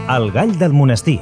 El gall del monestir.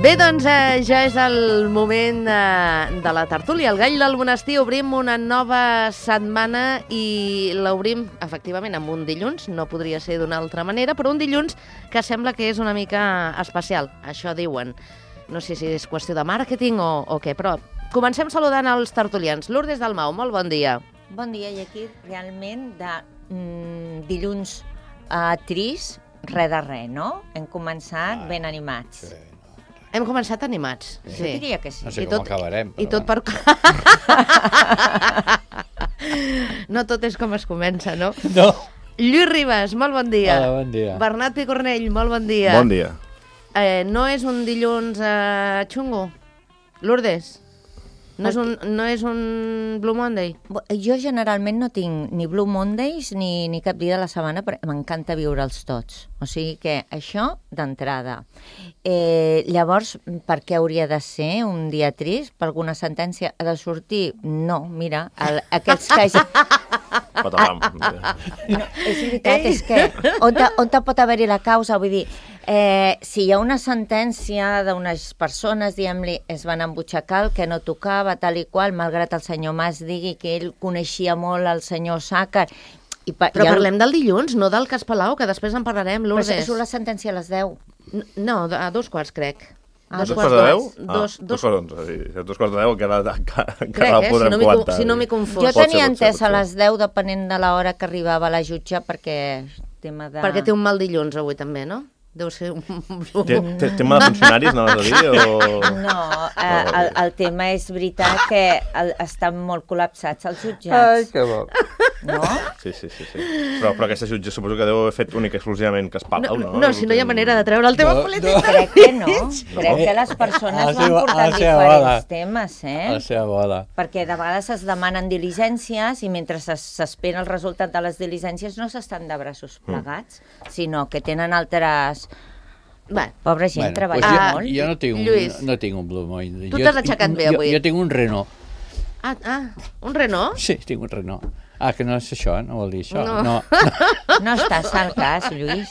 Bé, doncs ja és el moment de la tertúlia. El gall del monestir, obrim una nova setmana i l'obrim, efectivament, amb un dilluns, no podria ser d'una altra manera, però un dilluns que sembla que és una mica especial, això diuen. No sé si és qüestió de màrqueting o què, però comencem saludant els tertulians. Lourdes Dalmau, molt bon dia. Bon dia, i aquí realment de dilluns trist, res de res, no? Hem començat ben animats. Sí. Hem començat animats. Jo diria que sí. No sé com acabarem, però... I tot per... No tot és com es comença, no? No. Lluís Ribas, molt bon dia. Hola, bon dia. Bernat Picornell, molt bon dia. Bon dia. No és un dilluns xungo? Lourdes? No és un Blue Monday? Jo generalment no tinc ni Blue Mondays ni cap dia de la setmana, però m'encanta viure'ls tots. O sigui que això, d'entrada. Llavors, per què hauria de ser un dia trist? Per alguna sentència ha de sortir? No, mira, aquests que... No, és veritat, és que on pot haver-hi la causa? Vull dir, si hi ha una sentència d'unes persones, diguem-li, es van embutxacar el que no tocava, tal i qual, malgrat el senyor Mas digui que ell coneixia molt el senyor Sàcar. Però parlem del dilluns, no del cas Palau, que després en parlarem, Lourdes. Però és una sentència a les 10. No, a 2:15, crec. A 2:15? 2:15, encara la podrem comentar. Si no m'hi confós. Jo tenia entès a les 10, depenent de l'hora que arribava la jutge, perquè... Perquè té un mal dilluns avui també, no? Deu ser un... Tema de funcionaris, anaves a dir? O... No, el tema és veritat que estan molt col·lapsats els jutjats. Ai, que bo. No? Sí. Però aquesta jutge suposo que deu haver fet únic exclusivament cas Palau, no? No, si no hi ha manera de treure el tema polític. Crec que no. Crec que les persones van portant diferents temes, A la seva bola. Perquè de vegades es demanen diligències i mentre s'espera el resultat de les diligències no s'estan de braços plegats, sinó que tenen altres... Pobra gent, treballa molt. Jo no tinc un Blue Monday. Tu t'has aixecat bé avui. Jo tinc un Renault. Un Renault? Sí, tinc un Renault. Que no és això, no vol dir això. No. No estàs al cas, Lluís.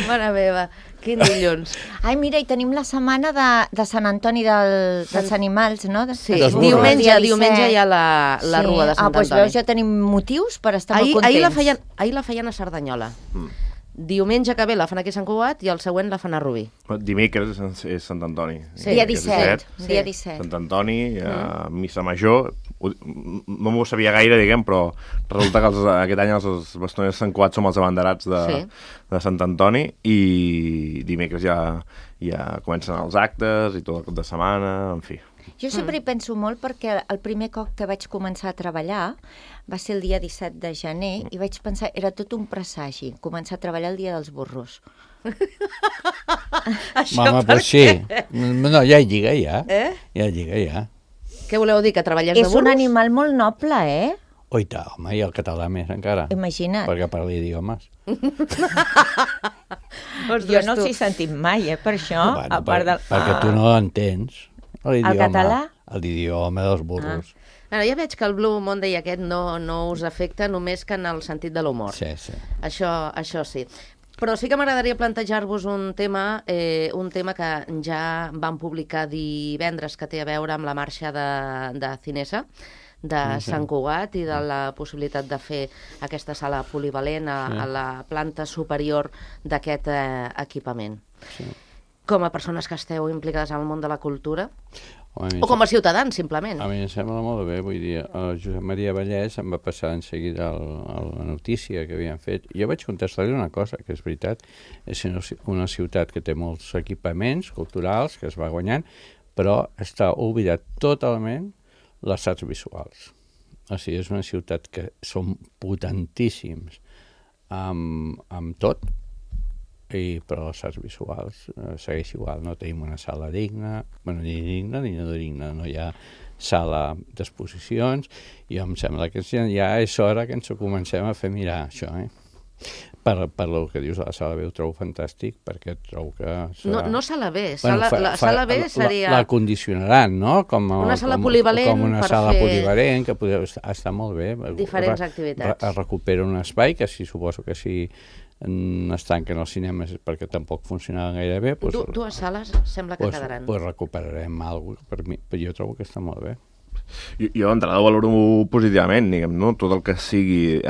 Mare meva, quin dilluns. Ai, mira, i tenim la setmana de Sant Antoni dels animals, no? Sí, diumenge hi ha la rua de Sant Antoni. Doncs veus, ja tenim motius per estar molt contents. Ahir la feien a Cerdanyola. Diumenge que ve la fan aquí a Sant Cugat i el següent la fan a Rubí. Dimecres és Sant Antoni. Dia 17. Dia 17. Sant Antoni, missa major. No m'ho sabia gaire, diguem, però resulta que aquest any els bastoners de Sant Cugat som els abanderats de Sant Antoni i dimecres ja comencen els actes i tot el cap de setmana, en fi. Jo sempre hi penso molt perquè el primer cop que vaig començar a treballar va ser el dia 17 de gener i vaig pensar, era tot un presagi, començar a treballar el dia dels burros. Mama, però sí. No, ja hi lliga, ja. Ja hi lliga, ja. Què voleu dir, que treballés de burros? És un animal molt noble, Oi, home, i el català més encara. Imagina't. Perquè parla idiomes. Jo no els he sentit mai, per això. Perquè tu no entens. El català? L'idioma dels burros. Ja veig que el Blue Monday aquest no us afecta només que en el sentit de l'humor. Sí. Això sí. Però sí que m'agradaria plantejar-vos un tema que ja vam publicar divendres, que té a veure amb la marxa de Cinesa, de Sant Cugat, i de la possibilitat de fer aquesta sala polivalent a la planta superior d'aquest equipament. Sí. Com a persones que esteu implicades en el món de la cultura? O com a ciutadans, simplement. A mi em sembla molt bé, vull dir, el Josep Maria Vallès em va passar en seguida la notícia que havien fet. Jo vaig contestar-li una cosa, que és veritat, és una ciutat que té molts equipaments culturals que es va guanyant, però està oblidat totalment les arts visuals. O sigui, és una ciutat que són potentíssims amb tot, però les arts visuals segueix igual, no tenim una sala digna, bueno, ni digna ni no digna, no hi ha sala d'exposicions, i em sembla que ja és hora que ens ho comencem a fer mirar, això, Per el que dius de la sala B ho trobo fantàstic, perquè trobo que... No sala B, la sala B seria... La condicionaran, no? Una sala polivalent com una sala polivalent, que podria estar molt bé. Diferents activitats. Es recupera un espai, que suposo que si es tanquen els cinemes perquè tampoc funcionaven gaire bé. Dues sales sembla que quedaran. Doncs recuperarem alguna cosa, per mi, però jo trobo que està molt bé. Jo d'entrada ho valoro positivament, diguem, no? Tot el que sigui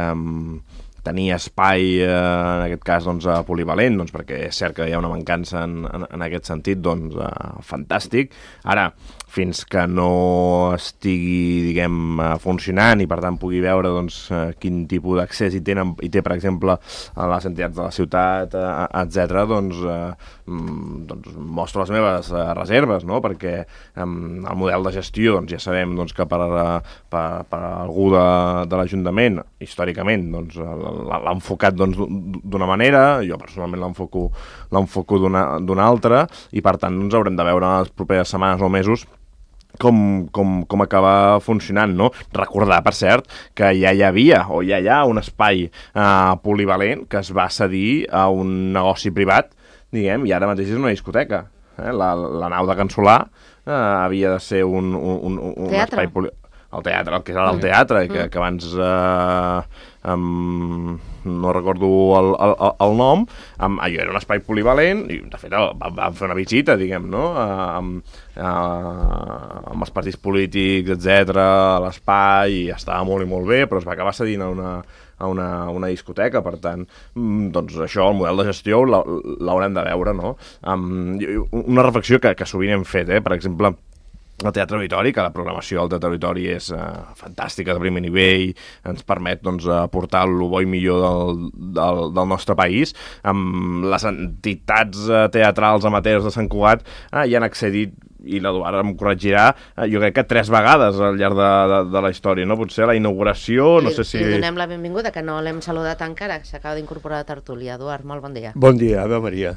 tenir espai, en aquest cas, polivalent, perquè és cert que hi ha una mancança en aquest sentit, fantàstic. Ara, fins que no estigui, diguem, funcionant i, per tant, pugui veure quin tipus d'accés hi té, per exemple, a les entitats de la ciutat, etc., mostro les meves reserves, no? Perquè el model de gestió, ja sabem que per algú de l'Ajuntament, històricament, l'ha enfocat d'una manera, jo personalment l'enfoco d'una altra, i per tant haurem de veure en les properes setmanes o mesos com acaba funcionant, no? Recordar, per cert, que ja hi havia o ja hi ha un espai polivalent que es va cedir a un negoci privat, diguem, i ara mateix és una discoteca. La nau de Can Solà havia de ser un espai polivalent. El teatre, el que era el teatre, que abans no recordo el nom, allò era un espai polivalent, i de fet vam fer una visita, diguem, no? Amb els partits polítics, etc., a l'espai, i estava molt i molt bé, però es va acabar cedint a una discoteca, per tant, això, el model de gestió l'haurem de veure, no? Una reflexió que sovint hem fet, per exemple, el Teatre Auditori, que la programació del Teatre Auditori és fantàstica, de primer nivell, ens permet aportar el bo i millor del nostre país. Les entitats teatrals amateurs de Sant Cugat hi han accedit, i l'Eduard em corregirà, jo crec que 3 vegades al llarg de la història, no? Potser a la inauguració, no sé si... Li donem la benvinguda, que no l'hem saludat encara, s'acaba d'incorporar a la tertúlia. Eduard, molt bon dia. Bon dia, Ave Maria.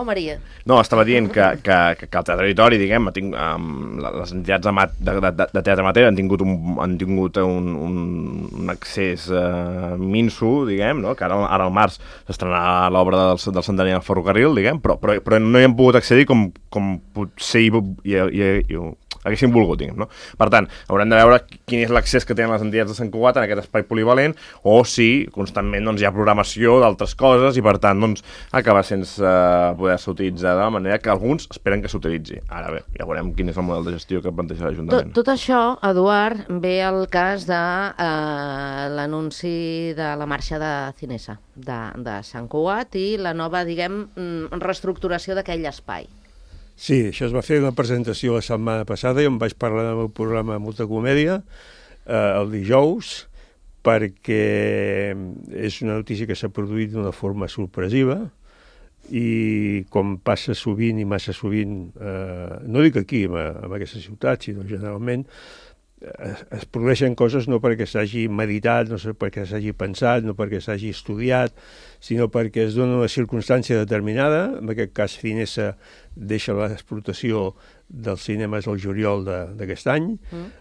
Maria. No, estava dient que el Teatre Auditori, diguem, les entitats de teatre amateur han tingut un accés minso, diguem, no? Que ara al març s'estrenarà l'obra del centenari del ferrocarril, diguem, però no hi han pogut accedir com potser haguéssim volgut, diguem, no? Per tant, haurem de veure quin és l'accés que tenen les entitats de Sant Cugat en aquest espai polivalent, o si constantment hi ha programació d'altres coses i, per tant, acaba sense poder-se utilitzar de la manera que alguns esperen que s'utilitzi. Ara bé, ja veurem quin és el model de gestió que planteja l'Ajuntament. Tot això, Eduard, ve al cas de l'anunci de la marxa de Cinesa de Sant Cugat i la nova, diguem, reestructuració d'aquell espai. Sí, això es va fer una presentació la setmana passada, jo em vaig parlar del meu programa Molta Comèdia el dijous, perquè és una notícia que s'ha produït d'una forma sorpresiva i com passa sovint i massa sovint, no dic aquí, en aquesta ciutat, sinó generalment, es produeixen coses no perquè s'hagi meditat, no perquè s'hagi pensat, no perquè s'hagi estudiat, sinó perquè es dona una circumstància determinada. En aquest cas, Cinesa deixa l'explotació dels cinemes al juliol d'aquest any,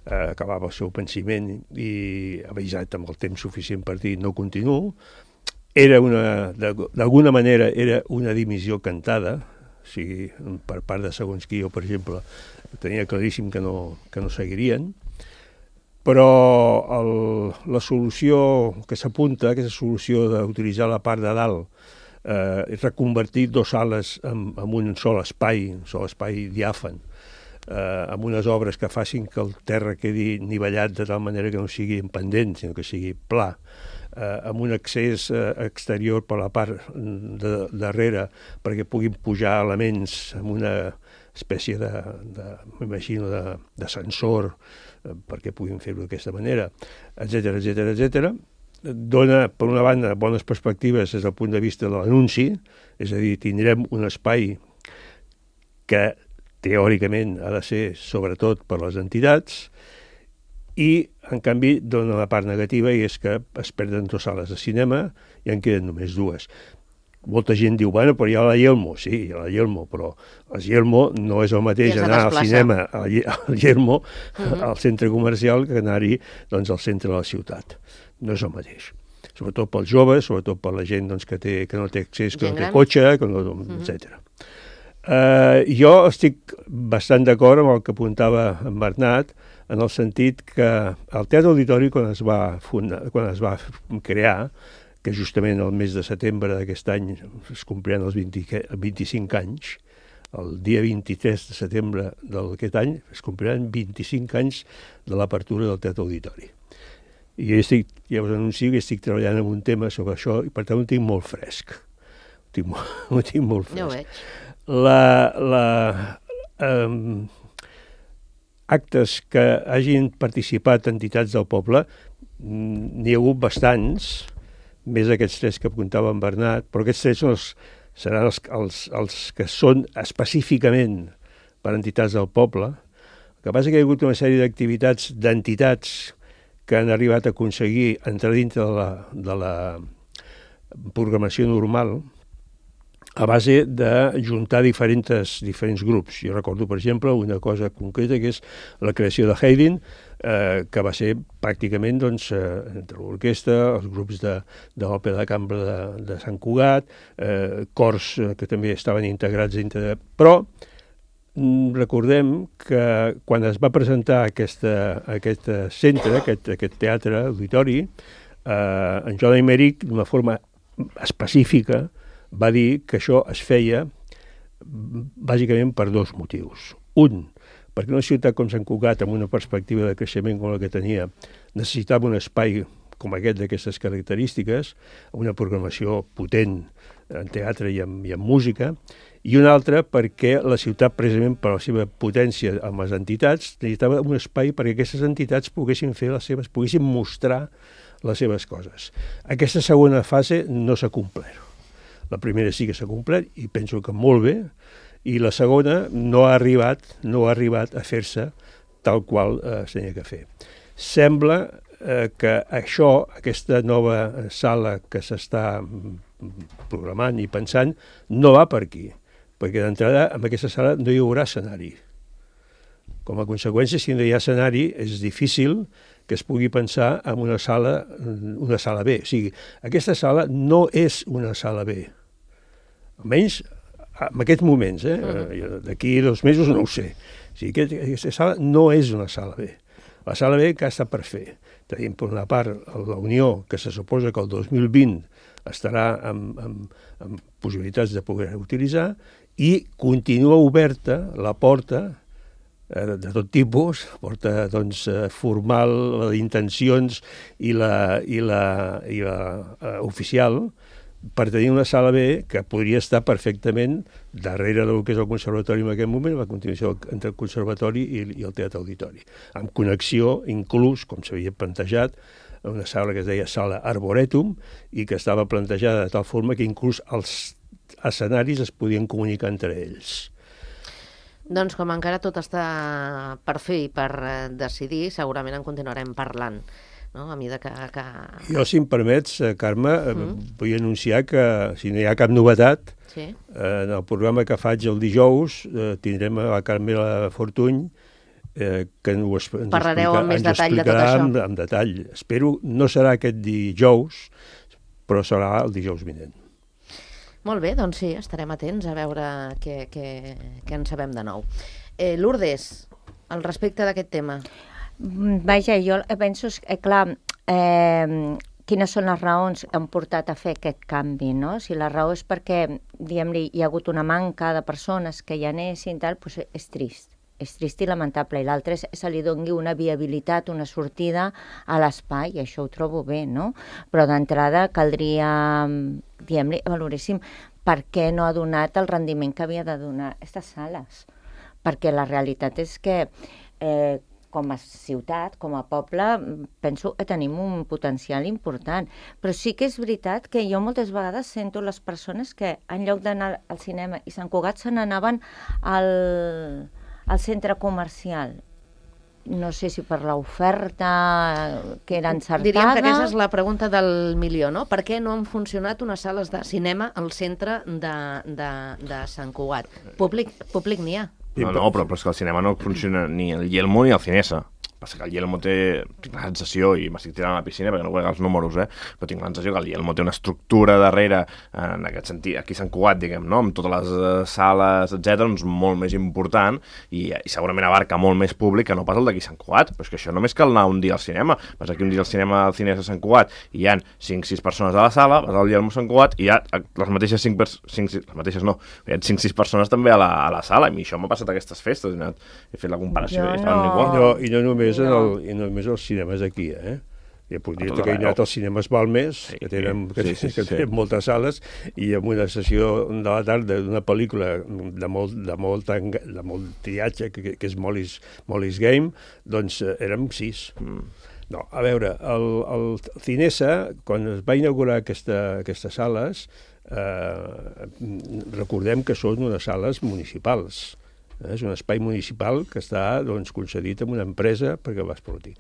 acabava el seu pensament i avisat amb el temps suficient per dir no continuo. D'alguna manera era una dimissió cantada, o sigui, per part de segons qui, jo, per exemple, tenia claríssim que no seguirien, però la solució que s'apunta, aquesta solució d'utilitzar la part de dalt, reconvertir 2 sales en un sol espai diàfan, amb unes obres que facin que el terra quedi nivellat de tal manera que no sigui pendent, sinó que sigui pla, amb un accés exterior per la part de darrere perquè puguin pujar elements amb una espècie m'imagino, de sensor perquè puguin fer-ho d'aquesta manera, etc. Dona, per una banda, bones perspectives des del punt de vista de l'anunci, és a dir, tindrem un espai que teòricament ha de ser sobretot per les entitats, i, en canvi, dona la part negativa, i és que es perden 2 sales de cinema i en queden només 2. Molta gent diu, bueno, però hi ha la Yelmo. Sí, hi ha la Yelmo, però la Yelmo no és el mateix anar al cinema al Yelmo, al centre comercial, que anar-hi doncs, al centre de la ciutat. No és el mateix. Sobretot pels joves, sobretot per la gent doncs, que no té accés, que no té cotxe, etc. Jo estic bastant d'acord amb el que apuntava en Bernat, en el sentit que el Teatre Auditori, quan es va crear, que justament el mes de setembre d'aquest any es compliran els 25 anys, el dia 23 de setembre d'aquest any es compliran 25 anys de l'apertura del Teatre Auditori. I ja us anuncio que estic treballant en un tema sobre això i per tant ho tinc molt fresc. Ho tinc molt fresc. Ja ho veig. Actes que hagin participat entitats del poble, n'hi ha hagut bastants, més aquests 3 que apuntava en Bernat, però aquests 3 seran els que són específicament per entitats del poble. El que passa que hi ha hagut una sèrie d'activitats d'entitats que han arribat a aconseguir entrar dintre de la programació normal a base de juntar diferents grups. Jo recordo, per exemple, una cosa concreta que és la creació de Haydn, que va ser pràcticament entre l'orquestra, els grups de l'Òpera de Cambra de Sant Cugat, cors que també estaven integrats dintre de... Però recordem que quan es va presentar aquest centre, aquest teatre auditori, en Joan Aymeric, d'una forma específica, va dir que això es feia bàsicament per 2 motius. Un, perquè una ciutat com Sant Cugat, amb una perspectiva de creixement com la que tenia, necessitava un espai com aquest d'aquestes característiques, una programació potent en teatre i en música, i un altre perquè la ciutat, precisament per la seva potència amb les entitats, necessitava un espai perquè aquestes entitats poguessin mostrar les seves coses. Aquesta segona fase no s'ha complert. La primera sí que s'ha complert i penso que molt bé, i la segona no ha arribat a fer-se tal qual s'havia que fer. Sembla que aquesta nova sala que s'està programant i pensant, no va per aquí, perquè d'entrada en aquesta sala no hi haurà escenari. Com a conseqüència, si no hi ha escenari, és difícil que es pugui pensar en una sala B. O sigui, aquesta sala no és una sala B. Almenys en aquests moments, d'aquí 2 mesos no ho sé. O sigui, aquesta sala no és una sala B. La sala B que està per fer. Tenim per una part la Unió, que se suposa que el 2020 estarà amb possibilitats de poder utilitzar, i continua oberta la porta de tot tipus, porta formal, d'intencions i la oficial, per tenir una sala B que podria estar perfectament darrere del que és el conservatori en aquest moment, la continuació entre el conservatori i el teatre auditori, amb connexió inclús, com s'havia plantejat, una sala que es deia Sala Arboretum i que estava plantejada de tal forma que inclús els escenaris es podien comunicar entre ells. Doncs com encara tot està per fer i per decidir, segurament en continuarem parlant, no? A mesura que... Jo, si em permets, Carme, vull anunciar que, si no hi ha cap novetat, en el programa que faig el dijous tindrem a la Carmela Fortuny, que ens parlareu amb més detall de tot això. Amb detall. Espero, no serà aquest dijous, però serà el dijous vinent. Molt bé, doncs sí, estarem atents a veure què en sabem de nou. Lourdes, al respecte d'aquest tema. Vaja, jo penso, clar, quines són les raons que han portat a fer aquest canvi, no? Si la raó és perquè, diguem-li, hi ha hagut una manca de persones que hi anessin, tal, doncs és trist. És trist i lamentable, i l'altre és que se li doni una viabilitat, una sortida a l'espai, i això ho trobo bé, no? Però d'entrada caldria, diguem-li, valoréssim per què no ha donat el rendiment que havia de donar aquestes sales. perquè la realitat és que com a ciutat, com a poble, penso que tenim un potencial important. Però sí que és veritat que jo moltes vegades sento les persones que en lloc d'anar al cinema i Sant Cugat se n'anaven al centre comercial. No sé si per l'oferta que era encertada... Diríem que aquesta és la pregunta del milió, no? Per què no han funcionat unes sales de cinema al centre de Sant Cugat? Públic n'hi ha. No, però és que el cinema no funciona ni el Yelmo ni el Cinesa. Passa que el Yelmo tinc la sensació, i m'estic tirant a la piscina perquè no conec els números, però tinc la sensació que el Yelmo té una estructura darrere, en aquest sentit, aquí a Sant Cugat, diguem, no? Amb totes les sales, etc, doncs molt més important, i segurament abarca molt més públic que no pas el d'aquí a Sant Cugat, però és que això només cal anar un dia al cinema. Vas aquí un dia al cinema al Cinesa a Sant Cugat i hi ha 5-6 persones a la sala, vas al Yelmo a Sant Cugat i hi ha les mateixes 5-6 persones també a la sala, i això m'ha passat aquestes festes, he fet la comparació i estaven igual. I no només els cinemes aquí, Ja puc dir que he anat als cinemes Balmes, que tenen moltes sales, i en una sessió de la tarda d'una pel·lícula de molt triatge, que és Molly's Game, doncs érem 6. No, a veure, el Cinesa, quan es va inaugurar aquestes sales, recordem que són unes sales municipals. És un espai municipal que està concedit a una empresa perquè va explotar.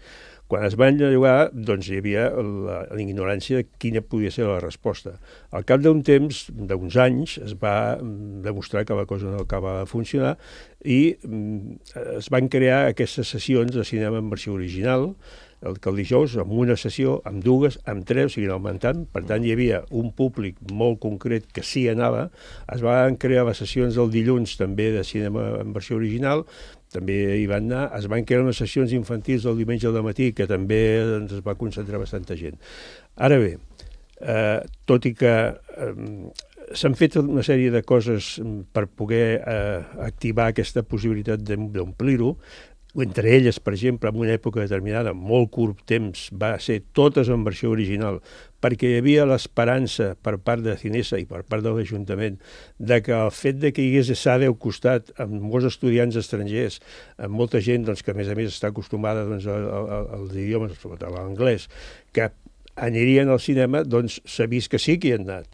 Quan es van llogar, doncs hi havia la ignorància de quina podia ser la resposta. Al cap d'un temps, d'uns anys, es va demostrar que la cosa no acabava de funcionar i es van crear aquestes sessions de cinema en versió original, que el dijous, amb una sessió, amb dues, amb tres, seguien augmentant. Per tant, hi havia un públic molt concret que sí anava. Es van crear les sessions del dilluns també de cinema en versió original, també hi van anar. Es van crear unes sessions infantils del diumenge al matí, que també es va concentrar bastanta gent. Ara bé, tot i que s'han fet una sèrie de coses per poder activar aquesta possibilitat d'omplir-ho, entre elles, per exemple, en una època determinada, molt curt temps, va ser totes en versió original, perquè hi havia l'esperança per part de Cinesa i per part de l'Ajuntament de que el fet de que hi hagués SADE al costat, amb molts estudiants estrangers, amb molta gent que a més està acostumada als idiomes, sobretot a l'anglès, que anirien al cinema, doncs s'ha vist que sí que hi han anat,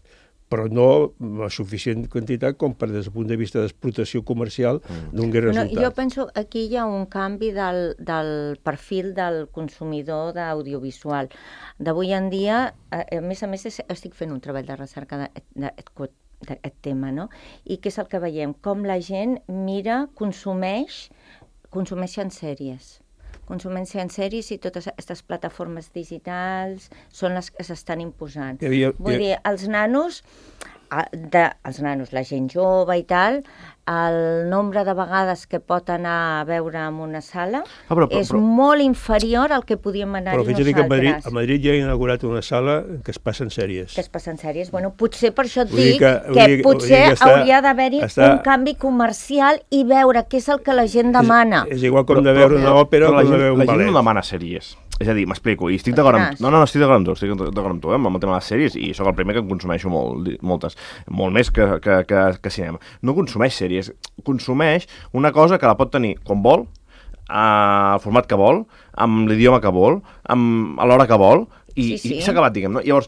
però no la suficient quantitat com per des del punt de vista d'explotació comercial dongui resultat. Jo penso que aquí hi ha un canvi del perfil del consumidor d'audiovisual. D'avui en dia, a més estic fent un treball de recerca d'aquest tema, no? I què és el que veiem? Com la gent mira, consumeixen sèries. Consumeixen sèries i totes aquestes plataformes digitals són les que s'estan imposant. Vull dir, els nanos, la gent jove i tal, el nombre de vegades que pot anar a veure en una sala és molt inferior al que podíem anar-hi nosaltres. Però fixa't que a Madrid ja ha inaugurat una sala que es passen sèries. Bueno, potser per això et dic que potser hauria d'haver-hi un canvi comercial i veure què és el que la gent demana. És igual com de veure una òpera o com de veure un ballet. La gent no demana sèries. És a dir, m'explico, i estic d'acord amb... No, estic d'acord amb tu, amb el tema de les sèries, i sóc el primer que en consumeixo moltes, molt més que cinema. No consumeix sèries, consumeix una cosa que la pot tenir quan vol, al format que vol, amb l'idioma que vol, a l'hora que vol, i s'ha acabat, diguem, no? Llavors,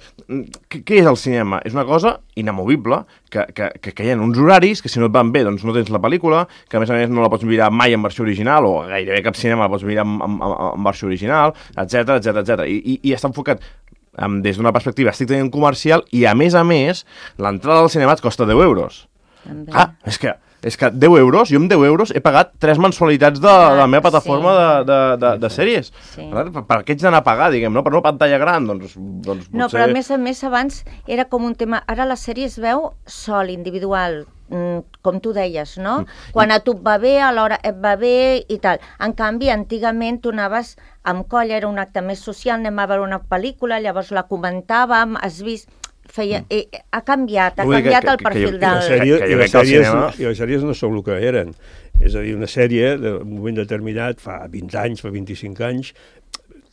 què és el cinema? És una cosa inamovible, que hi ha uns horaris, que si no et van bé, doncs no tens la pel·lícula, que a més no la pots mirar mai en versió original, o gairebé cap cinema la pots mirar en versió original, etc. I està enfocat des d'una perspectiva estrictament comercial, i a més, l'entrada al cinema et costa 10 euros. És que 10 euros, jo amb 10 euros he pagat 3 mensualitats de la meva plataforma de sèries. Per què ets d'anar a pagar, diguem, no? Per una pantalla gran, doncs potser... No, però a més abans era com un tema... Ara la sèrie es veu sol, individual, com tu deies, no? Quan a tu et va bé, alhora et va bé i tal. En canvi, antigament tu anaves amb colla, era un acte més social, anem a veure una pel·lícula, llavors la comentàvem, has vist... ha canviat el perfil del... I les sèries no són el que eren. És a dir, una sèrie d'un moment determinat, fa 20 anys, fa 25 anys,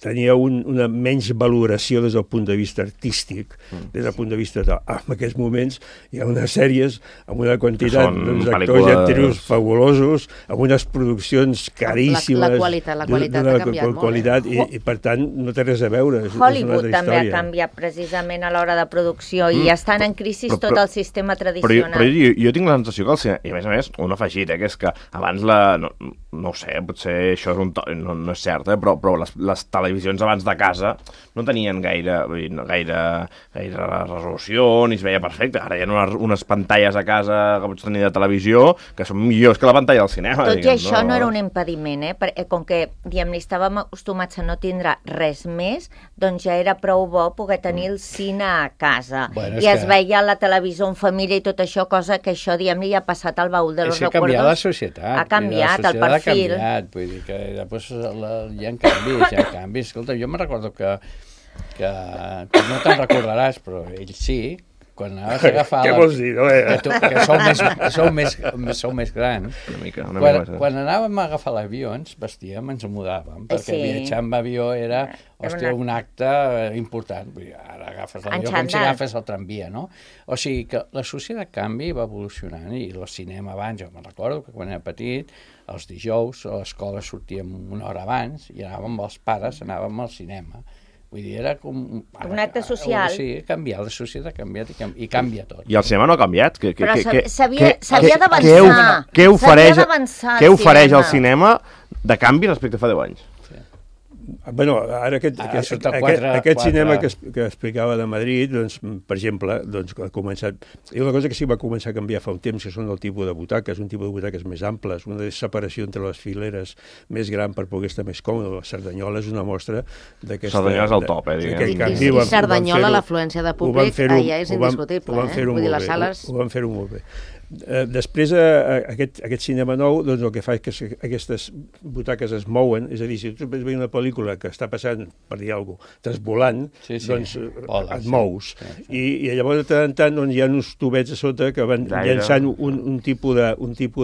tenia una menys valoració des del punt de vista artístic, des del punt de vista de... En aquests moments hi ha unes sèries amb una quantitat d'actors i actrius fabulosos, amb unes produccions caríssimes. La qualitat ha canviat molt. I per tant no té res a veure. Hollywood també ha canviat precisament a l'hora de producció i estan en crisi tot el sistema tradicional. Però jo tinc la sensació que el cinema, i a més, un afegit, que és que abans no ho sé, potser això és no és cert, però les televisions abans de casa no tenien gaire resolució, ni es veia perfecte. Ara hi ha unes pantalles a casa que pots tenir de televisió que són millors que la pantalla del cinema. Tot i això no era un impediment, perquè com que estàvem acostumats a no tindre res més, doncs ja era prou bo poder tenir el cine a casa. I es veia la televisió en família i tot això, cosa que això, diguem-ne, ja ha passat al baúl de los recuerdos. Ha canviat la societat. Ha canviat el perfil. Ha canviat, vull dir que després hi ha canvis. Escolta, jo me'n recordo que tu no te'n recordaràs, però ell sí, quan anaves a agafar... Què vols dir, no? Que sou més grans. Una mica. Quan anàvem a agafar l'avió, ens vestíem, ens mudàvem, perquè viatjar amb avió era, un acte important. Ara agafes l'avió com si agafes el tramvia, no? O sigui que la societat canvia i va evolucionant, i el cinema abans, jo me'n recordo que quan era petit, els dijous a l'escola sortíem una hora abans i anàvem amb els pares, anàvem al cinema. Vull dir, era com... Un acte social. Sí, ha canviat, la societat ha canviat i canvia tot. I el cinema no ha canviat? Però s'havia d'avançar. Què ofereix el cinema de canvi respecte a fa 10 anys? Bueno, ara aquest cinema que explicava de Madrid, doncs, per exemple, doncs, ha començat... Hi ha una cosa que sí va començar a canviar fa un temps, que són el tipus de butaques, un tipus de butaques més amples, una separació entre les fileres més gran per poder estar més còmode. La Cerdanyola és una mostra d'aquesta... Cerdanyola és el top, diguem. I Cerdanyola, l'afluència de públic, allà és indiscutible. Vull dir, les sales... Ho van fer-ho molt bé. Després, aquest cinema nou, doncs el que fa és que aquestes butaques es mouen, és a dir, si tu veus una pel·lícula que està passant, per dir alguna cosa, trasvolant, doncs et mous. I llavors, de tant en tant, hi ha uns tubets a sota que van llançant un tipus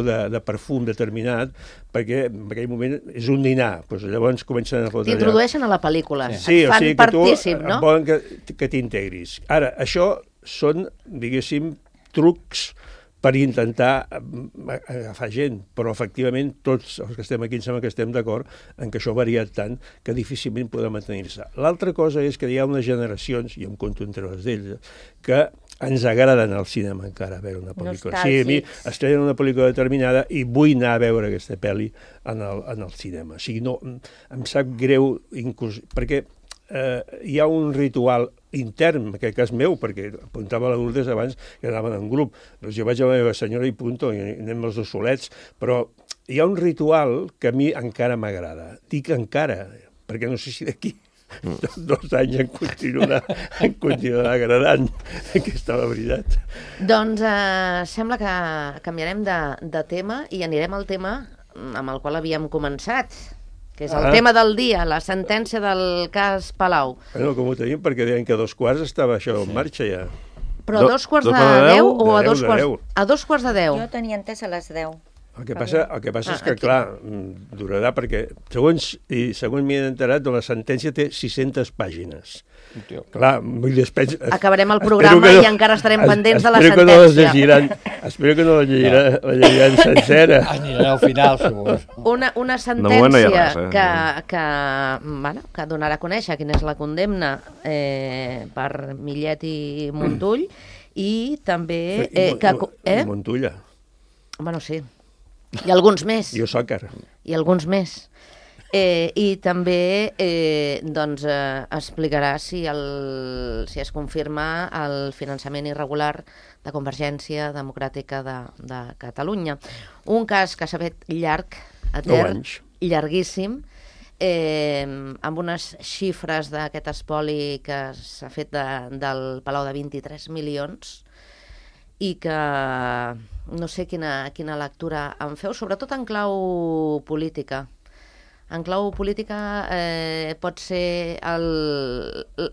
de perfum determinat, perquè en aquell moment és un dinar. Llavors comencen a fotre... T'introdueixen a la pel·lícula. Sí, o sigui que tu volen que t'integris. Ara, això són, diguéssim, trucs per intentar agafar gent, però efectivament tots els que estem aquí em sembla que estem d'acord en que això ha variat tant que difícilment podrà mantenir-se. L'altra cosa és que hi ha unes generacions, i em compto entre les d'ells, que ens agraden al cinema encara veure una pel·lícula. Sí, a mi estrenen una pel·lícula determinada i vull anar a veure aquesta pel·li en el cinema. O sigui, no, em sap greu, perquè hi ha un ritual intern, en aquest cas meu, perquè apuntava a la Lourdes abans que anaven en grup. Doncs jo vaig a la meva senyora i punto, i anem els dos solets, però hi ha un ritual que a mi encara m'agrada. Dic encara, perquè no sé si d'aquí 2 anys em continuarà agradant, aquesta la veritat. Doncs sembla que canviarem de tema i anirem al tema amb el qual havíem començat, que és el tema del dia, la sentència del cas Palau. Bueno, com ho tenim, perquè deien que a 2:15 estava això en marxa ja. Però a 2:45 o a 2:15? A 2:15. Jo tenia entès a les 10. El que passa és que, clar, durarà perquè, segons m'hi he enterat, la sentència té 600 pàgines. Clar, vull dir, acabarem el programa i encara estarem pendents de la sentència. Espero que no la llegiran sencera. Anirà al final, segur. Una sentència que donarà a conèixer quina és la condemna per Millet i Montull i també... Montulla. Bueno, sí. I alguns més. I Osàcar. I alguns més. I també explicarà si es confirma el finançament irregular de Convergència Democràtica de Catalunya. Un cas que s'ha fet llarg, etern, llarguíssim, amb unes xifres d'aquest espoli que s'ha fet del Palau de 23 milions i que no sé quina lectura en feu, sobretot en clau política. En clau política pot ser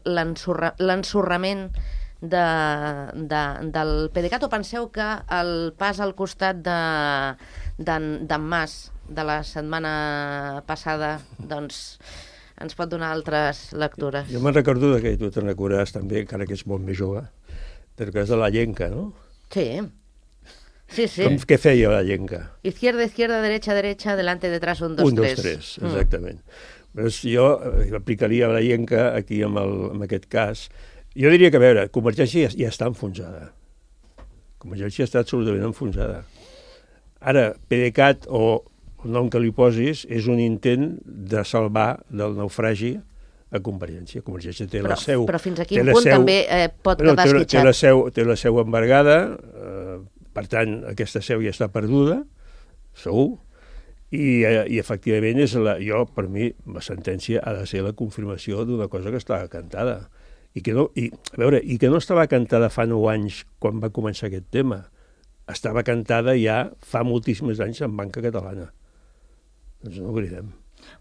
l'ensorrament del PDeCAT, o penseu que el pas al costat d'en Mas de la setmana passada doncs ens pot donar altres lectures. Jo me'n recordo que tu te'n recordaràs també, encara que ets molt més jove, del cas de la llenca, no? Sí. Sí, sí. Què feia la llenca? Izquierda, izquierda, derecha, derecha, delante, detrás, 1, 2, 3. 1, 2, 3, exactament. Però jo aplicaria la llenca aquí en aquest cas. Jo diria que, a veure, Convergència ja està enfonsada. Convergència està absolutament enfonsada. Ara, PDeCAT, o el nom que li posis, és un intent de salvar del naufragi a Convergència. Convergència té la seu... Però fins a quin punt també pot quedar esquitxat? Té la seu embargada, per tant, aquesta seu ja està perduda, segur, i efectivament, per mi, la sentència ha de ser la confirmació d'una cosa que estava cantada. I que no estava cantada fa 9 anys quan va començar aquest tema. Estava cantada ja fa moltíssims anys en banca catalana. Doncs no ho oblidem.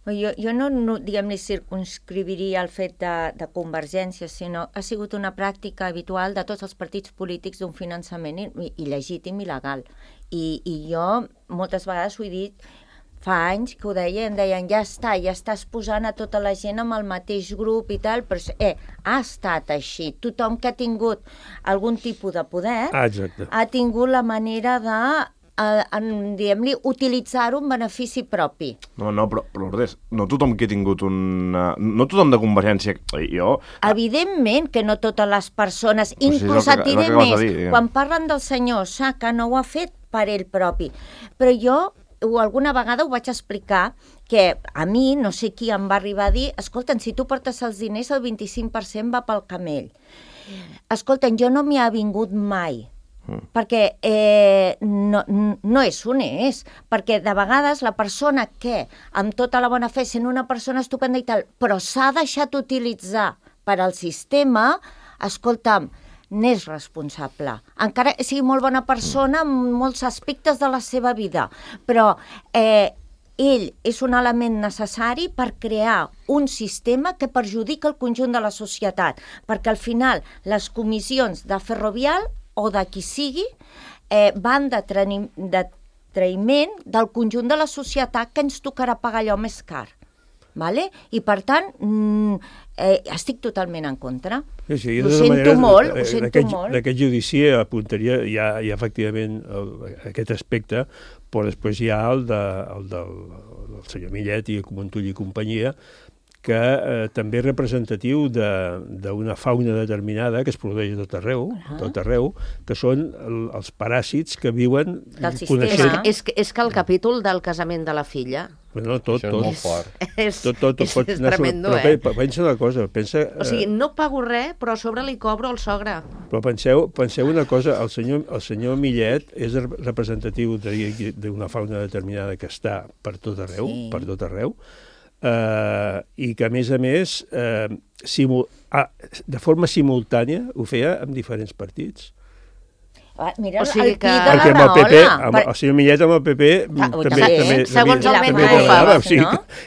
Jo no diguem-ne, circunscriviria el fet de Convergència, sinó ha sigut una pràctica habitual de tots els partits polítics d'un finançament il·legítim i legal. I jo moltes vegades ho he dit, fa anys que ho deien, ja estàs posant a tota la gent amb el mateix grup i tal, però ha estat així. Tothom que ha tingut algun tipus de poder ha tingut la manera de diguem-li, utilitzar-ho en benefici propi. No, però Lourdes, no tothom que ha tingut no tothom de Convergència... Evidentment que no totes les persones, inclús et diré més, quan parlen del senyor Osaka no ho ha fet per ell propi, però jo alguna vegada ho vaig explicar, que a mi, no sé qui em va arribar a dir, escolta'm, si tu portes els diners, el 25% va pel camell. Escolta'm, jo no m'hi ha vingut mai, perquè no és honest, perquè de vegades la persona que, amb tota la bona fe, sent una persona estupenda i tal, però s'ha deixat utilitzar per al sistema, escolta'm, n'és responsable. Encara sigui molt bona persona en molts aspectes de la seva vida, però ell és un element necessari per crear un sistema que perjudica el conjunt de la societat, perquè al final les comissions de Ferrovial o de qui sigui van de traïment del conjunt de la societat que ens tocarà pagar allò més car. Vale? I per tant estic totalment en contra. Sí, ho sento molt. D'aquest judici apuntaria ja efectivament aquest aspecte, però després hi ha el del senyor Millet i Montull i companyia, que també és representatiu d'una fauna determinada que es produeix a tot arreu, que són els paràsits que viuen coneixent... És que el capítol del casament de la filla... No, tot. Això és molt fort. És tremendo, però pensa una cosa, o sigui, no pago res, però a sobre li cobro el sogre. Però penseu una cosa, el senyor Millet és representatiu d'una fauna determinada que està per tot arreu, i que, a més, de forma simultània ho feia amb diferents partits. Mira, o sigui que... Perquè amb el PP, el senyor Millet amb el PP també segons el vent treballava, o sigui,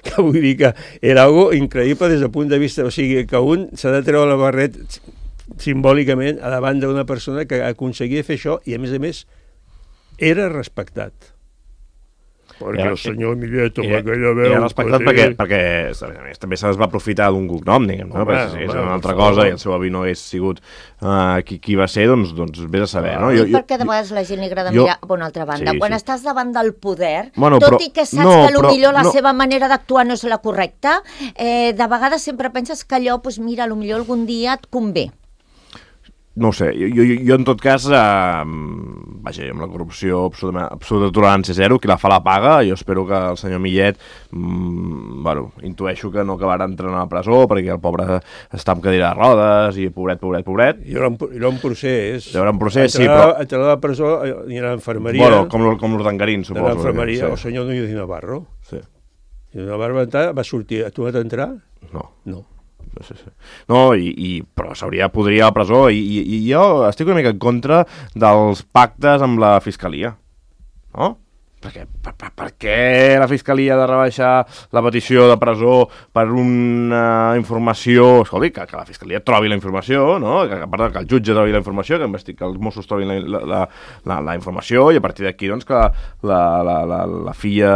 que vull dir que era algo increïble des del punt de vista, o sigui, que un s'ha de treure la barret simbòlicament a davant d'una persona que aconseguia fer això i, a més, era respectat. Perquè el senyor Millet amb aquella veu... Era respectat perquè a més, també se va aprofitar d'un cognom, diguem, no? Perquè si és una altra cosa i el seu avi no hagués sigut qui va ser, doncs vés a saber, no? I perquè de vegades a la gent li agrada mirar a una altra banda. Quan estàs davant del poder, tot i que saps que potser la seva manera d'actuar no és la correcta, de vegades sempre penses que allò, mira, potser algun dia et convé. No ho sé, jo en tot cas, vaja, amb la corrupció absoluta tolerància zero, qui la fa la paga, jo espero que el senyor Millet, intueixo que no acabarà entrant a la presó, perquè el pobre està amb cadira de rodes, i pobret. Hi haurà un procés. Hi haurà un procés, sí, però... Entrarà a la presó, hi ha l'infermeria... Bueno, com l'Urdangarín, suposo. L'infermeria, el senyor Núñez de Navarro. Sí. Núñez de Navarro va sortir, tu vas entrar? No. No, però podria ir a la presó i jo estic una mica en contra dels pactes amb la fiscalia, no? Per què la Fiscalia ha de rebaixar la petició de presó per una informació? Escolti, que la Fiscalia trobi la informació, no? Que el jutge trobi la informació, que els Mossos trobin la informació, i a partir d'aquí, doncs, que la filla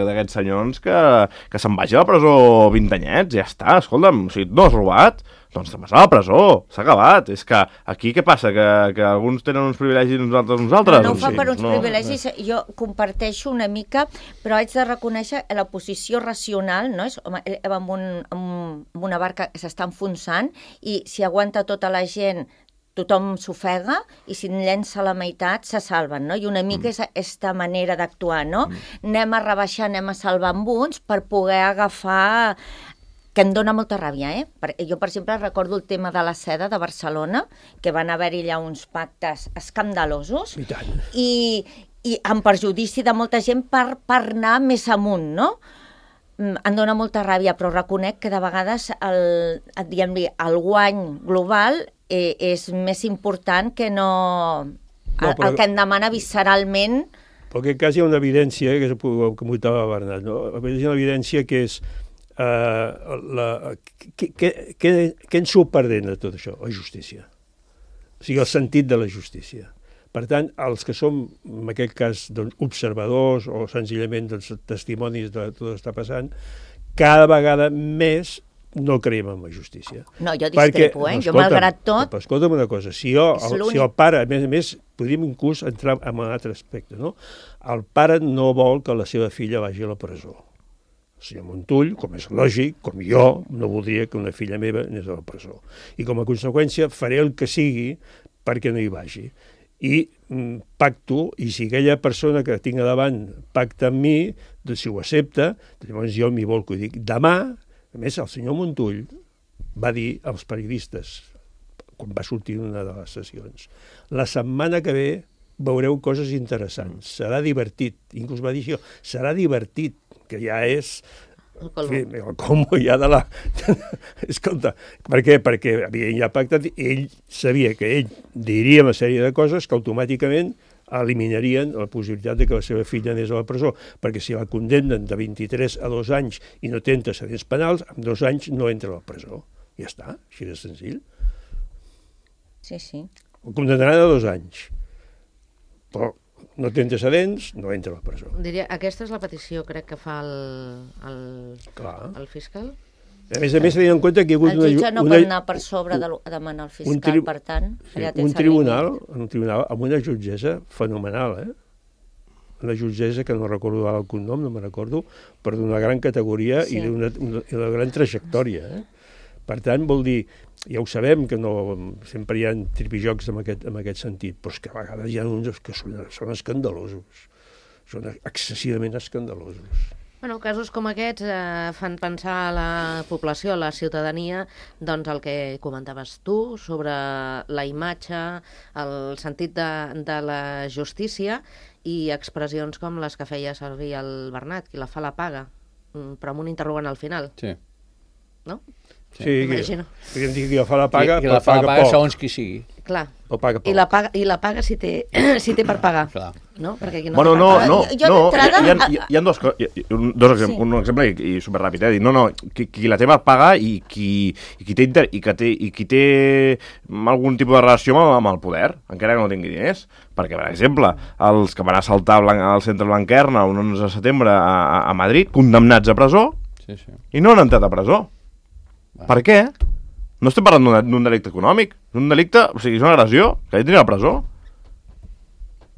d'aquests senyors que se'n vagi a la presó 20 anyets, ja està, escolta'm, si no has robat, doncs te'n vas a la presó, s'ha acabat. És que aquí què passa? Que alguns tenen uns privilegis i nosaltres? No ho fa per uns privilegis, jo comparteixo una mica, però haig de reconèixer la posició racional, no? És amb una barca que s'està enfonsant, i si aguanta tota la gent tothom s'ofega, i si en llença la meitat se salven, no? I una mica és aquesta manera d'actuar, no? Anem a rebaixar, anem a salvar amb uns per poder agafar... que em dóna molta ràbia, Jo, per exemple, recordo el tema de la seda de Barcelona, que van haver-hi allà uns pactes escandalosos, i amb perjudici de molta gent per anar més amunt, no? Em dóna molta ràbia, però reconec que de vegades el guany global és més important que no... el que em demana visceralment... Però en aquest cas hi ha una evidència, que comentava Bernat, no? Hi ha una evidència que és què ens surt perdent de tot això? La justícia. O sigui, el sentit de la justícia. Per tant, els que som, en aquest cas, doncs, observadors o senzillament testimonis de tot el que està passant, cada vegada més no creiem en la justícia. No, jo discrepo, jo malgrat tot... Escolta'm una cosa, si el pare, a més, podríem inclús entrar en un altre aspecte, no? El pare no vol que la seva filla vagi a la presó. El senyor Montull, com és lògic, com jo, no voldria que una filla meva anés a la presó. I com a conseqüència faré el que sigui perquè no hi vagi. I pacto, i si aquella persona que tinc a davant pacta amb mi, doncs si ho accepta, llavors jo m'hi volco i dic, demà, a més el senyor Montull va dir als periodistes, quan va sortir una de les sessions, la setmana que ve veureu coses interessants, serà divertit, inclús va dir això, serà divertit, que ja és el colmo ja de la... Escolta, per què? Perquè havien ja pactat, ell sabia que ell diria una sèrie de coses que automàticament eliminarien la possibilitat de que la seva filla anés a la presó, perquè si la condemnen de 23 a 2 anys i no té antecedents penals, en 2 anys no entra a la presó. Ja està, així de senzill. Sí, sí. El condemnaran a 2 anys. Però no té antecedents, no entra a la presó. Diria, aquesta és la petició, crec, que fa el fiscal? A més, tenint en compte que hi ha hagut el jutge no pot anar per sobre de demanar al fiscal, per tant... Un tribunal amb una jutgessa fenomenal, una jutgessa que no recordo el cognom, no me'n recordo, però d'una gran categoria i d'una gran trajectòria, Per tant, vol dir, ja ho sabem que no, sempre hi ha tripijocs en aquest sentit, però és que a vegades hi ha uns que són escandalosos, són excessivament escandalosos. Bueno, casos com aquests fan pensar a la població, a la ciutadania, doncs el que comentaves tu sobre la imatge, el sentit de la justícia i expressions com les que feia servir el Bernat, qui la fa la paga, però amb un interrogant al final. Sí. No? Sí, podríem dir que la fa la paga, qui la fa la paga segons qui sigui. Clar. Paga poc. I la paga si té per pagar. Clar. No? Perquè aquí no bueno, hi ha dos exemples, un exemple i superràpid, qui la té per pagar i qui té algun tipus de relació amb el poder, encara que no tingui diners. Perquè, per exemple, els que van assaltar al centre Blanquerna el 11 de setembre a Madrid, condemnats a presó, i no han entrat a presó. Per què? No estem parlant d'un delicte econòmic. És un delicte, o sigui, és una agressió. Que ell tenia a la presó.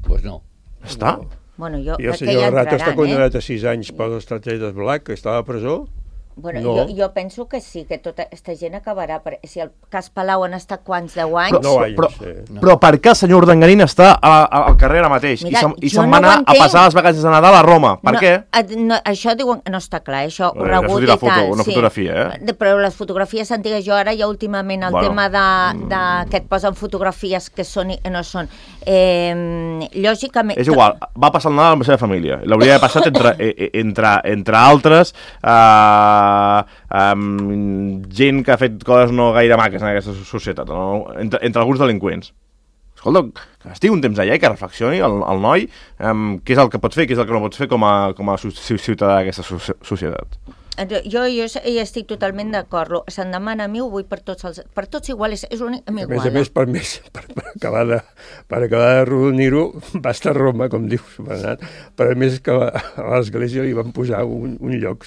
Pues no. Està. Bueno, I el senyor Rato està condemnat a 6 anys per l'estratègia Black, que estava a presó. Bueno, no. jo penso que sí, que tota aquesta gent acabarà. Si el cas Palau han estat quants, 10 anys? Però per què el senyor Urdangarín està al carrer ara mateix? Mira, I se'n va anar a passar les vacances de Nadal a Roma? Per què? Això diuen que no està clar, això ho rebut i tal. Una fotografia, Però les fotografies antigues, jo ara ja últimament el tema que et posen fotografies que són i no són. Lògicament... És igual, va passar el Nadal amb la seva família. L'hauria d'haver passat entre altres... gent que ha fet coses no gaire maques en aquesta societat, no? Entre alguns delinqüents. escolta, que estigui un temps allà i que reflexioni el noi què és el que pot fer, què és el que no pot fer com a ciutadà d'aquesta societat. Jo hi estic totalment d'acord. Se'm demana a mi, ho vull per tots igual, és únic, a mi igual. A més, per acabar de rodonir-ho, va estar a Roma, com dius, Bernat, però a més que a l'església li van posar un lloc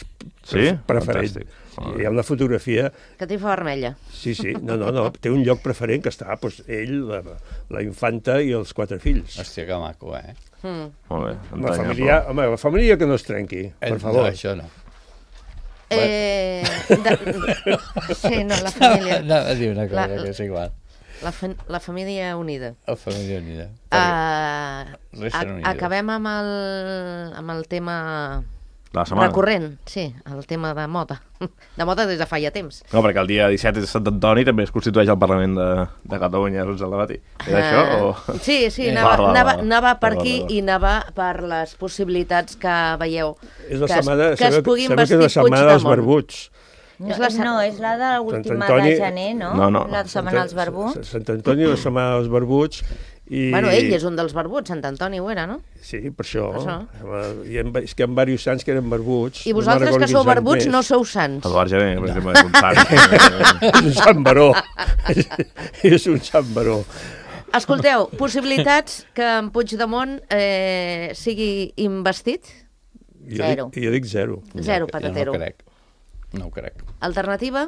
preferent. Hi ha una fotografia... Catifa vermella. Sí, no, té un lloc preferent que està ell, la infanta i els 4 fills. Hòstia, que maco, Molt bé. La família que no es trenqui, per favor. No, això no. Sí, no, la família... Anava a dir una cosa que és igual. La família unida. La família unida. Acabem amb el tema... recurrent, sí, el tema de moda. De moda des de fa ja temps. No, perquè el dia 17 de Sant Antoni també es constitueix el Parlament de Catalunya, és el debat. És això? Sí, anava per aquí i anava per les possibilitats que veieu que es puguin vestir Puigdemont. Dels barbuts. No, és la de l'última de gener, no? No. La setmana dels barbuts. Sant Antoni, la setmana dels barbuts. Bueno, ell és un dels barbuts, Sant Antoni ho era, no? Sí, per això. És que hi ha diversos sants que eren barbuts. I vosaltres que sou barbuts no sou sants. Eduard Gené, per exemple, és un sant. És un sant baró. És un sant baró. Escolteu, possibilitats que en Puigdemont sigui investit? Zero. Jo dic zero. Zero, patatero. No ho crec. Alternativa?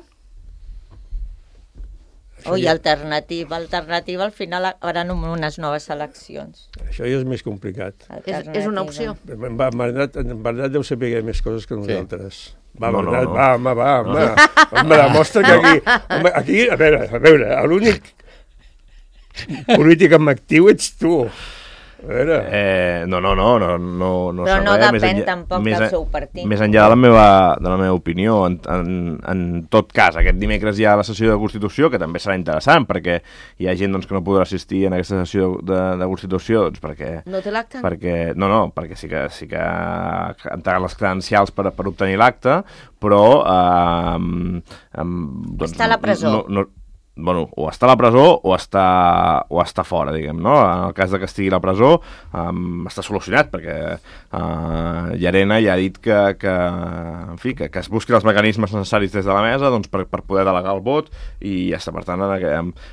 Alternativa, al final hauran unes noves eleccions. Això ja és més complicat. És una opció. En Bernat deu saber més coses que nosaltres. Va, No. Bernat, va, home, demostra que aquí, a veure, l'únic polític amb actiu ets tu. A veure... No. Però no depèn tampoc del seu partit. Més enllà de la meva opinió, en tot cas, aquest dimecres hi ha la sessió de Constitució, que també serà interessant, perquè hi ha gent que no podrà assistir en aquesta sessió de Constitució, perquè... No té l'acte? No, perquè sí que ha entregat les credencials per obtenir l'acte, però... Està a la presó. Bueno, o està a la presó o està fora, diguem, no? En el cas de que estigui a la presó, està solucionat, perquè Llarena ja ha dit que es busquin els mecanismes necessaris des de la mesa per poder delegar el vot, i ja està, per tant,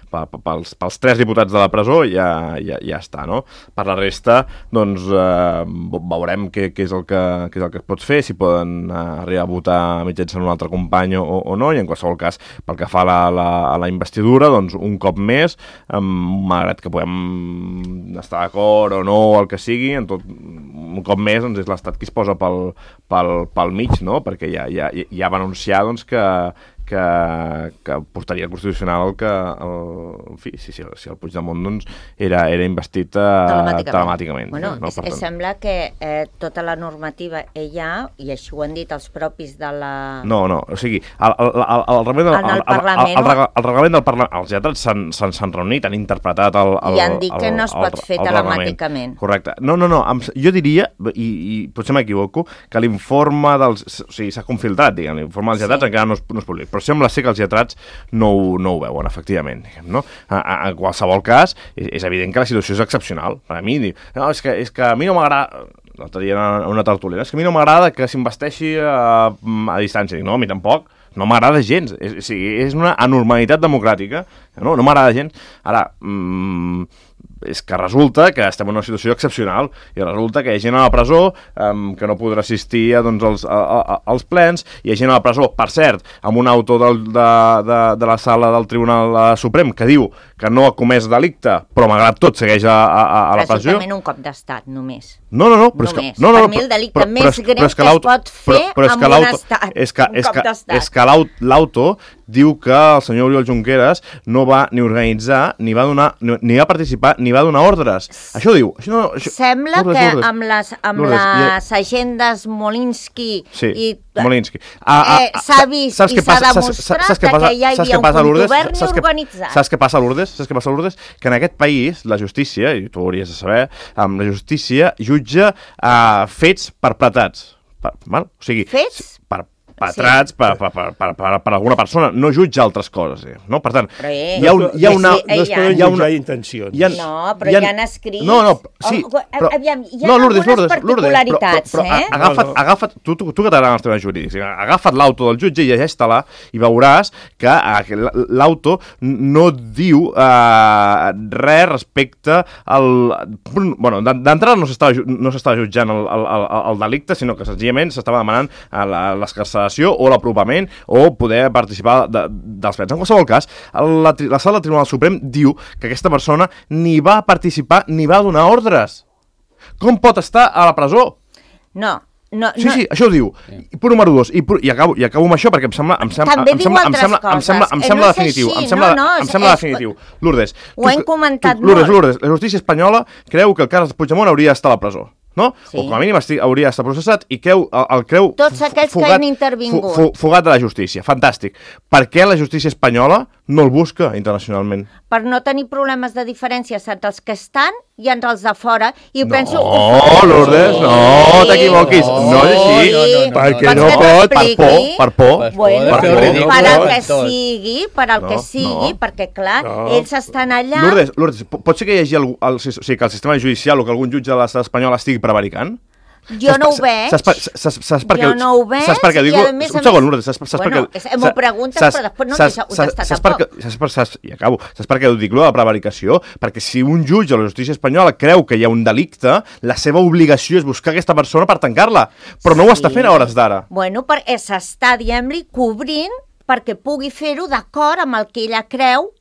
pels 3 diputats de la presó ja està, no? Per la resta, doncs, veurem què és el que es pot fer, si poden arribar a votar mitjançant un altre company o no, i en qualsevol cas, pel que fa a la investigació, doncs un cop més, malgrat que puguem estar d'acord o no, el que sigui, un cop més doncs és l'Estat qui es posa pel mig, no? Perquè ja va anunciar doncs, que portaria al Constitucional si el Puigdemont doncs, era investit telemàticament. Bueno, no? Sembla que tota la normativa ella, i així ho han dit els propis de la... No, o sigui, el reglament del Parlament, els lletrats s'han reunit, han interpretat i han dit que no es pot fer telemàticament. Correcte. No, jo diria, i potser m'equivoco, que l'informe o sigui, s'ha confiltrat, diguem, l'informe dels lletrats encara no és públic, però sembla ser que els lletrats no ho veuen, efectivament. Diguem, no? En qualsevol cas, és evident que la situació és excepcional. Per a mi, no, és que a mi no m'agrada... L'altre dia en una tertúlia, és que a mi no m'agrada que s'investeixi a distància. Dic, no, a mi tampoc. No m'agrada gens. És una anormalitat democràtica. No m'agrada gens. Ara... és que resulta que estem en una situació excepcional i resulta que hi ha gent a la presó que no podrà assistir als plens, hi ha gent a la presó, per cert, amb un auto de la sala del Tribunal Suprem que diu que no ha comès delicte, però malgrat tot segueix a la presó. Presumptament un cop d'estat, només. No, però és que... Per mi el delicte més greu que es pot fer amb un estat, un cop d'estat. És que l'auto diu que el senyor Oriol Junqueras no va ni organitzar, ni va donar, ni va participar, ni va donar ordres. Això diu. Sembla que amb les agendes Molinsky i... Molinsky. S'ha vist i s'ha demostrat que ja hi havia un govern organitzat. Saps què passa a Lourdes? Que en aquest país la justícia, i tu ho hauries de saber, la justícia jutja fets perpetrats. O sigui, fets? perpetrats per alguna persona, no jutja altres coses, no? Per tant, hi ha una... No es poden jutjar intencions. No, però hi ha escrits... No, sí, però... Aviam, hi ha algunes particularitats, Agafa't, tu que t'agraden els temes jurídics, agafa't l'auto del jutge i llegeix-te-la i veuràs que l'auto no diu res respecte al... Bueno, d'entrada no s'estava jutjant el delicte, sinó que senzillament s'estava demanant l'escarceració o l'apropament o poder participar dels fets. En qualsevol cas, la sala del Tribunal Suprem diu que aquesta persona ni va participar ni va donar ordres. Com pot estar a la presó? No. Sí, això ho diu. Punt número 2. I acabo amb això perquè em sembla definitiu. Em sembla definitiu. Lourdes. Ho hem comentat molt. Lourdes, la justícia espanyola creu que el Carles Puigdemont hauria d'estar a la presó. No? Sí. O com a mínim hauria d'estar processat i el creu tots aquells que han intervingut. Fugat de la justícia. Fantàstic. Per què la justícia espanyola no el busca internacionalment? Per no tenir problemes de diferències entre els que estan i entre els de fora. I penso... No, Lourdes, no t'equivoquis. No és així. Perquè no pot. Per por. Bueno, per al que sigui, perquè clar, ells estan allà... Lourdes, pot ser que hi hagi que el sistema judicial o que algun jutge de l'estat espanyol estigui prevaricant? Jo no ho veig. Jo no ho veig. Saps per què dic? Un segon, Lourdes. M'ho preguntes, però després no deixa contestar tampoc. Saps per què ho dic, de la prevaricació? Perquè si un jutge o la justícia espanyola creu que hi ha un delicte, la seva obligació és buscar aquesta persona per tancar-la. Però no ho està fent a hores d'ara. Bueno, perquè s'està, diguem-li, cobrint perquè pugui fer-ho d'acord amb el que ella creu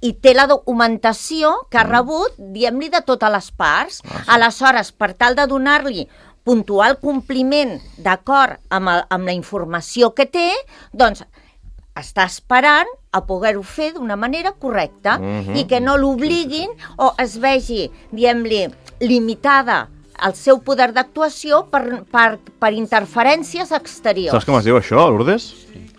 i té la documentació que ha rebut, diguem-li, de totes les parts. Aleshores, per tal de donar-li puntual compliment d'acord amb la informació que té, doncs està esperant a poder-ho fer d'una manera correcta i que no l'obliguin o es vegi, diguem-li, limitada el seu poder d'actuació per interferències exteriors. Saps com es diu això, Lourdes?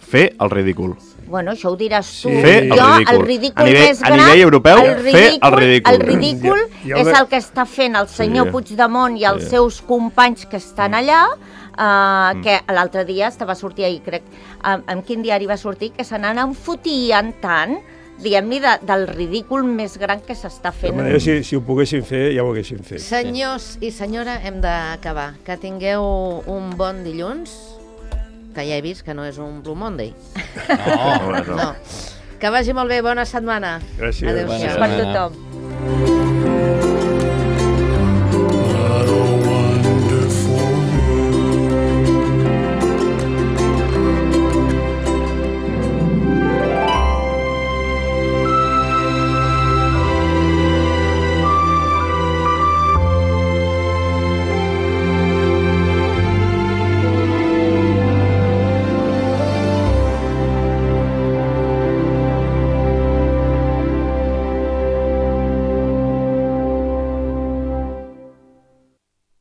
Fer el ridícul. Bueno, això ho diràs tu. Fer el ridícul. A nivell europeu, fer el ridícul. El ridícul és el que està fent el senyor Puigdemont i els seus companys que estan allà, que l'altre dia estava sortint ahir, crec, en quin diari va sortir, que se n'han enfotien tant, diguem-li, del ridícul més gran que s'està fent. De manera, si ho poguessin fer, ja ho haguessin fet. Senyors i senyora, hem d'acabar. Que tingueu un bon dilluns, que ja he vist que no és un Blue Monday. No. Que vagi molt bé, bona setmana. Gràcies. Adéu-siau. Per tothom.